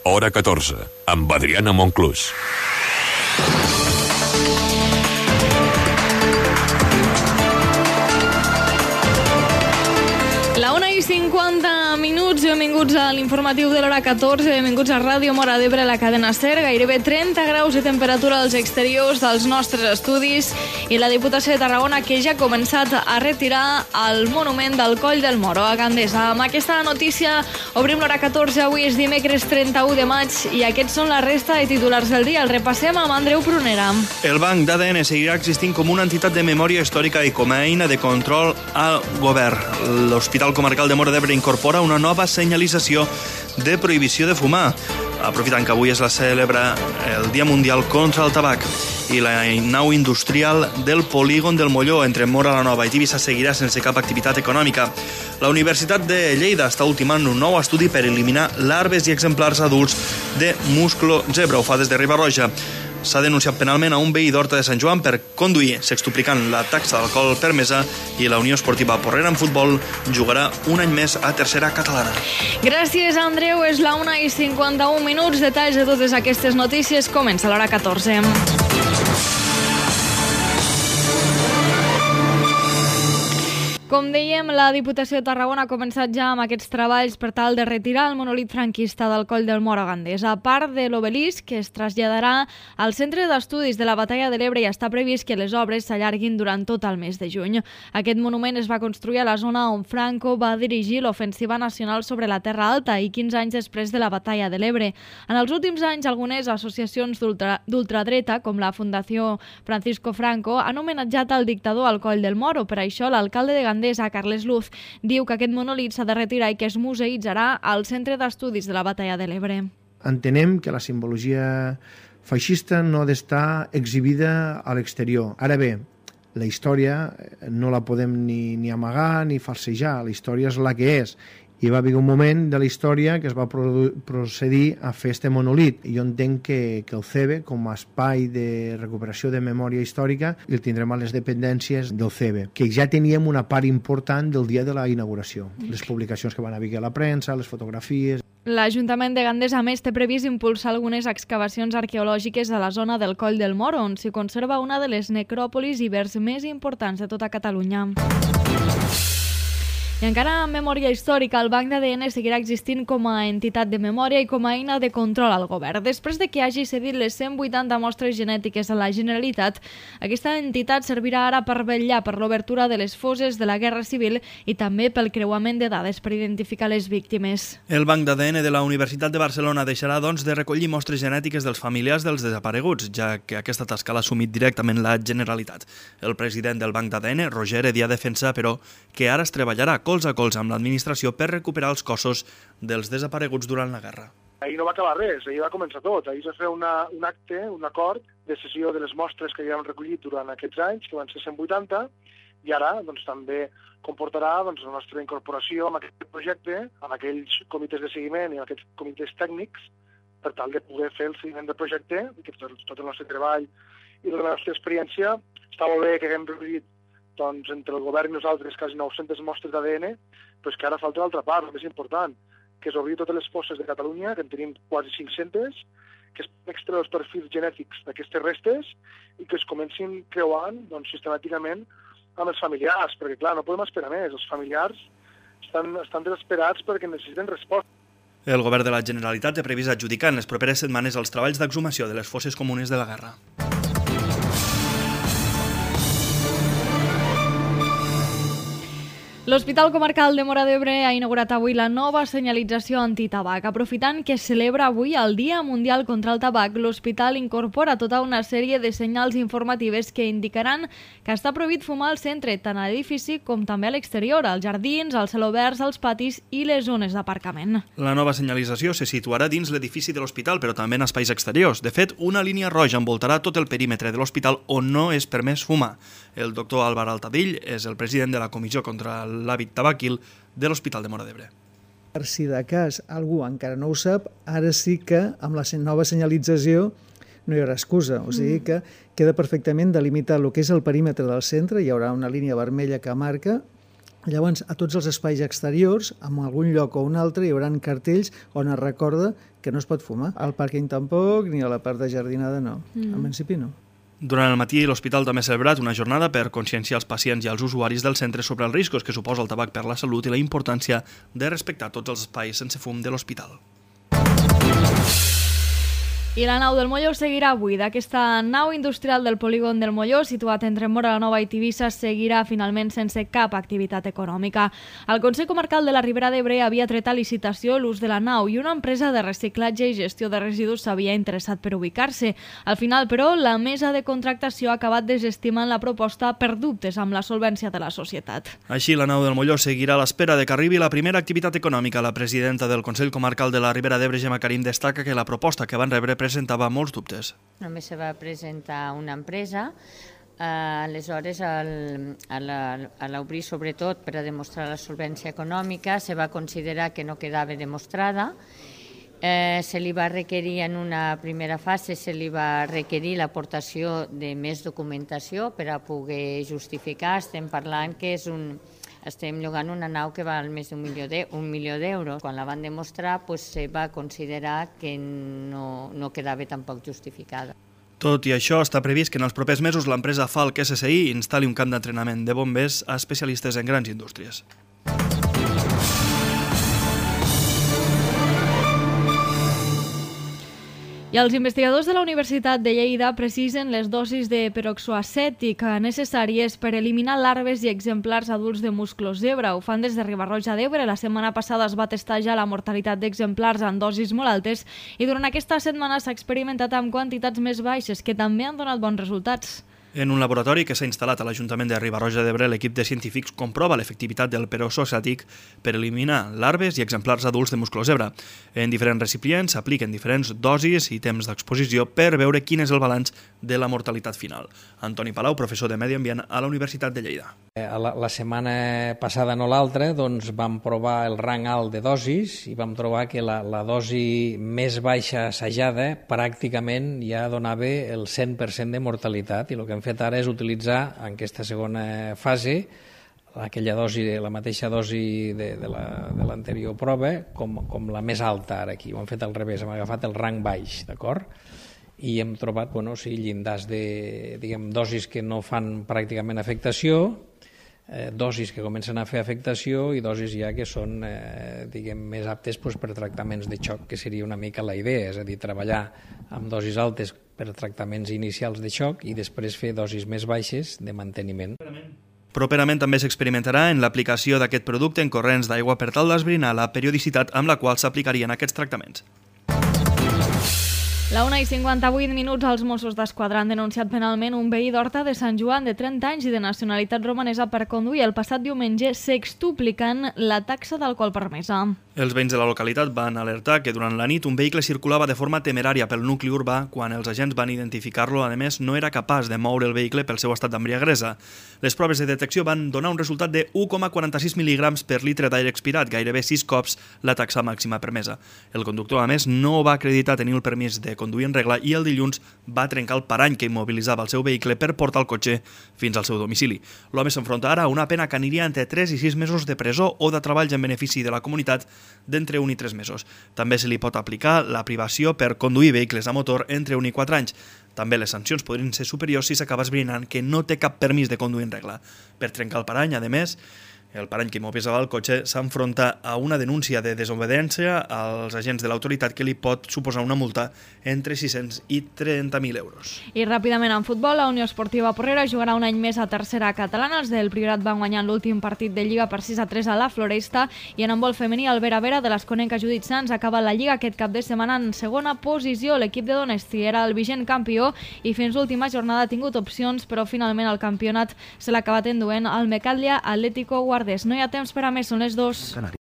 Hora 14, amb Adriana Monclús. La 1:50 minuts, benvinguts a l'informatiu de l'hora 14, benvinguts a Ràdio Móra d'Ebre, la cadena SER, gairebé 30 graus de temperatura als exteriors dels nostres estudis i la Diputació de Tarragona que ja ha començat a retirar el monument del Coll del Moro a Gandesa. Amb aquesta notícia obrim l'hora 14, avui és dimecres 31 de maig i aquests són la resta de titulars del dia. El repassem amb Andreu Prunera. El Banc d'ADN seguirà existint com una entitat de memòria històrica i com a eina de control al govern. L'Hospital Comarcal de Móra d'Ebre incorpora una nova senyalització de prohibició de fumar. Aprofitant que avui es celebra el Dia Mundial contra el Tabac i la nau industrial del polígon del Molló entre Móra la Nova i Tivissa seguirà sense cap activitat econòmica. La Universitat de Lleida està ultimant un nou estudi per eliminar larves i exemplars adults de musclo zebra. Ho fa des de Riba-roja. S'ha denunciat penalment a un veí d'Horta de Sant Joan per conduir, sextuplicant la taxa d'alcohol permesa, i la Unió Esportiva Porrera en futbol jugarà un any més a tercera catalana. Gràcies, Andreu. És la 1:51 minuts. Detalls de totes aquestes notícies. Comença l'hora 14. Com dèiem, la Diputació de Tarragona ha començat ja amb aquests treballs per tal de retirar el monolit franquista del Coll del Moro a Gandesa. A part de l'obelisc, que es traslladarà al Centre d'Estudis de la Batalla de l'Ebre, i està previst que les obres s'allarguin durant tot el mes de juny. Aquest monument es va construir a la zona on Franco va dirigir l'ofensiva nacional sobre la Terra Alta i 15 anys després de la Batalla de l'Ebre. En els últims anys, algunes associacions d'ultradreta, com la Fundació Francisco Franco, han homenatjat al dictador al Coll del Moro. Per això, l'alcalde de Gandesa, Carles Luz, diu que aquest monolit s'ha de retirar i que es museïtzarà al Centre d'Estudis de la Batalla de l'Ebre. Entenem que la simbologia feixista no ha d'estar exhibida a l'exterior. Ara bé, la història no la podem ni amagar ni falsejar, la història és la que és. I va haver un moment de la història que es va procedir a fer este monolit. Jo entenc que el CEBE, com a espai de recuperació de memòria històrica, el tindrem a les dependències del CEBE, que ja teníem una part important del dia de la inauguració. Les publicacions que van haver a la premsa, les fotografies. L'Ajuntament de Gandesa, a més, té previst impulsar algunes excavacions arqueològiques a la zona del Coll del Moro, on s'hi conserva una de les necròpolis ibers més importants de tota Catalunya. I encara en memòria històrica, el Banc d'ADN seguirà existint com a entitat de memòria i com a eina de control al govern. Després de que hagi cedit les 180 mostres genètiques a la Generalitat, aquesta entitat servirà ara per vetllar per l'obertura de les fosses de la Guerra Civil i també pel creuament de dades per identificar les víctimes. El Banc d'ADN de la Universitat de Barcelona deixarà, doncs, de recollir mostres genètiques dels familiars dels desapareguts, ja que aquesta tasca l'ha assumit directament la Generalitat. El president del Banc d'ADN, Roger Eddy, defensa, però, que ara es treballarà colze a colze amb l'administració per recuperar els cossos dels desapareguts durant la guerra. Ahir no va acabar res, ahir va començar tot. Ahir es va fer un acte, un acord de cessió de les mostres que ja hem recollit durant aquests anys, que van ser 180, i ara doncs, també comportarà doncs, la nostra incorporació en aquest projecte, en aquells comitès de seguiment i en aquests comitès tècnics, per tal de poder fer el seguiment del projecte, que tot el nostre treball i la nostra experiència. Està molt bé que haguem recollit doncs, entre el govern i nosaltres quasi 900 mostres d'ADN, però és que ara falta l'altra part, el més important, que és obrir totes les fosses de Catalunya, que en tenim quasi 500, que es extreure els perfils genètics d'aquestes restes i que es comencin creuant doncs, sistemàticament amb els familiars, perquè clar, no podem esperar més. Els familiars estan desesperats perquè necessiten resposta. El govern de la Generalitat té previst adjudicar en les properes setmanes els treballs d'exhumació de les fosses comunes de la guerra. L'Hospital Comarcal de Móra d'Ebre ha inaugurat avui la nova senyalització antitabac. Aprofitant que es celebra avui el Dia Mundial contra el Tabac, l'hospital incorpora tota una sèrie de senyals informatives que indicaran que està prohibit fumar al centre, tant a l'edifici com també a l'exterior, als jardins, als celoberts, als patis i les zones d'aparcament. La nova senyalització se situarà dins l'edifici de l'hospital, però també en espais exteriors. De fet, una línia roja envoltarà tot el perímetre de l'hospital on no és permès fumar. El doctor Álvaro Altadill és el president de la Comissió contra l'Hàbit Tabaquil de l'Hospital de Móra d'Ebre. Per si de cas algú encara no ho sap, ara sí que amb la nova senyalització no hi haurà excusa. O sigui que queda perfectament delimitat el que és el perímetre del centre, hi haurà una línia vermella que marca. Llavors, a tots els espais exteriors, en algun lloc o un altre, hi haurà cartells on es recorda que no es pot fumar. Al pàrquing tampoc, ni a la part de jardinada no. En principi no. Durant el matí, l'hospital també ha celebrat una jornada per conscienciar els pacients i els usuaris del centre sobre els riscos que suposa el tabac per la salut i la importància de respectar tots els espais sense fum de l'hospital. I la nau del Molló seguirà buida. Aquesta nau industrial del polígon del Molló, situat entre Móra la Nova i Tivissa, seguirà finalment sense cap activitat econòmica. El Consell Comarcal de la Ribera d'Ebre havia tret a licitació l'ús de la nau i una empresa de reciclatge i gestió de residus s'havia interessat per ubicar-se. Al final, però, la mesa de contractació ha acabat desestimant la proposta per dubtes amb la solvència de la societat. Així, la nau del Molló seguirà a l'espera de que arribi la primera activitat econòmica. La presidenta del Consell Comarcal de la Ribera d'Ebre, Gemma Karim, destaca que la proposta que van rebre presentava molts dubtes. Només se va presentar una empresa, aleshores a l'obrir sobretot per a demostrar la solvència econòmica se va considerar que no quedava demostrada. Se li va requerir en una primera fase, se li va requerir l'aportació de més documentació per a poder justificar. Estem parlant que estem llogant una nau que val més d'1 milió d'euros. Quan la van demostrar, se va considerar que no quedava tampoc justificada. Tot i això, està previst que en els propers mesos l'empresa Falk SSI instal·li un camp d'entrenament de bombers a especialistes en grans indústries. I els investigadors de la Universitat de Lleida precisen les dosis de peroxoacètic necessàries per eliminar larves i exemplars adults de musclos zebra. Ho fan des de Riba-roja d'Ebre. La setmana passada es va testar ja la mortalitat d'exemplars en dosis molt altes i durant aquesta setmana s'ha experimentat amb quantitats més baixes que també han donat bons resultats. En un laboratori que s'ha instal·lat a l'Ajuntament de Riba-roja d'Ebre, l'equip de científics comprova l'efectivitat del peroxoacètic per eliminar larves i exemplars adults de musclozebre. En diferents recipients s'apliquen diferents dosis i temps d'exposició per veure quin és el balanç de la mortalitat final. Antoni Palau, professor de Medi Ambient a la Universitat de Lleida. La setmana passada, no l'altra, vam provar el rang alt de dosis i vam trobar que la dosi més baixa assajada pràcticament ja donava el 100% de mortalitat i el que hem fet ara és utilitzar en aquesta segona fase aquella dosi, la mateixa dosi de l'anterior prova com la més alta ara aquí. Ho hem fet al revés, hem agafat el rang baix, d'acord? I hem trobat llindars de dosis que no fan pràcticament afectació, dosis que comencen a fer afectació i dosis ja que són més aptes per tractaments de xoc, que seria una mica la idea, és a dir, treballar amb dosis altes per tractaments inicials de xoc i després fer dosis més baixes de manteniment. Properament també s'experimentarà en l'aplicació d'aquest producte en corrents d'aigua per tal d'esbrinar la periodicitat amb la qual s'aplicarien aquests tractaments. La 1:58, els Mossos d'Esquadra han denunciat penalment un veí d'Horta de Sant Joan de 30 anys i de nacionalitat romanesa per conduir el passat diumenge sextuplicant la taxa d'alcohol permesa. Els veïns de la localitat van alertar que durant la nit un vehicle circulava de forma temerària pel nucli urbà. Quan els agents van identificar-lo, a més, no era capaç de moure el vehicle pel seu estat d'embriaguesa. Les proves de detecció van donar un resultat de 1,46 mil·lígrams per litre d'aire expirat, gairebé 6 cops la taxa màxima permesa. El conductor, a més, no va acreditar tenir el permís de conduir en regla i el dilluns va trencar el parany que immobilitzava el seu vehicle per portar el cotxe fins al seu domicili. L'home s'enfronta ara a una pena que aniria entre 3 i 6 mesos de presó o de treballs en benefici de la comunitat d'entre 1 i 3 mesos. També se li pot aplicar la privació per conduir vehicles a motor entre 1 i 4 anys. També les sancions podrien ser superiors si s'acaba esbrinant que no té cap permís de conduir en regla. Per trencar el parany, a més, el parany que immobilitzava el cotxe s'enfronta a una denúncia de desobediència als agents de l'autoritat que li pot suposar una multa entre 600 i 30.000 euros. I ràpidament en futbol, la Unió Esportiva Porrera jugarà un any més a tercera catalana. Els del Priorat van guanyar l'últim partit de Lliga per 6-3 a la Floresta i en handbol femení el Vera de l'Esconenca Judit Sans acaba la Lliga aquest cap de setmana en segona posició. L'equip de Donesti era el vigent campió i fins l'última jornada ha tingut opcions, però finalment el campionat se l'ha acabat enduent al Mecatlia Atlético Guardés. No hi ha temps per a més, són les 2.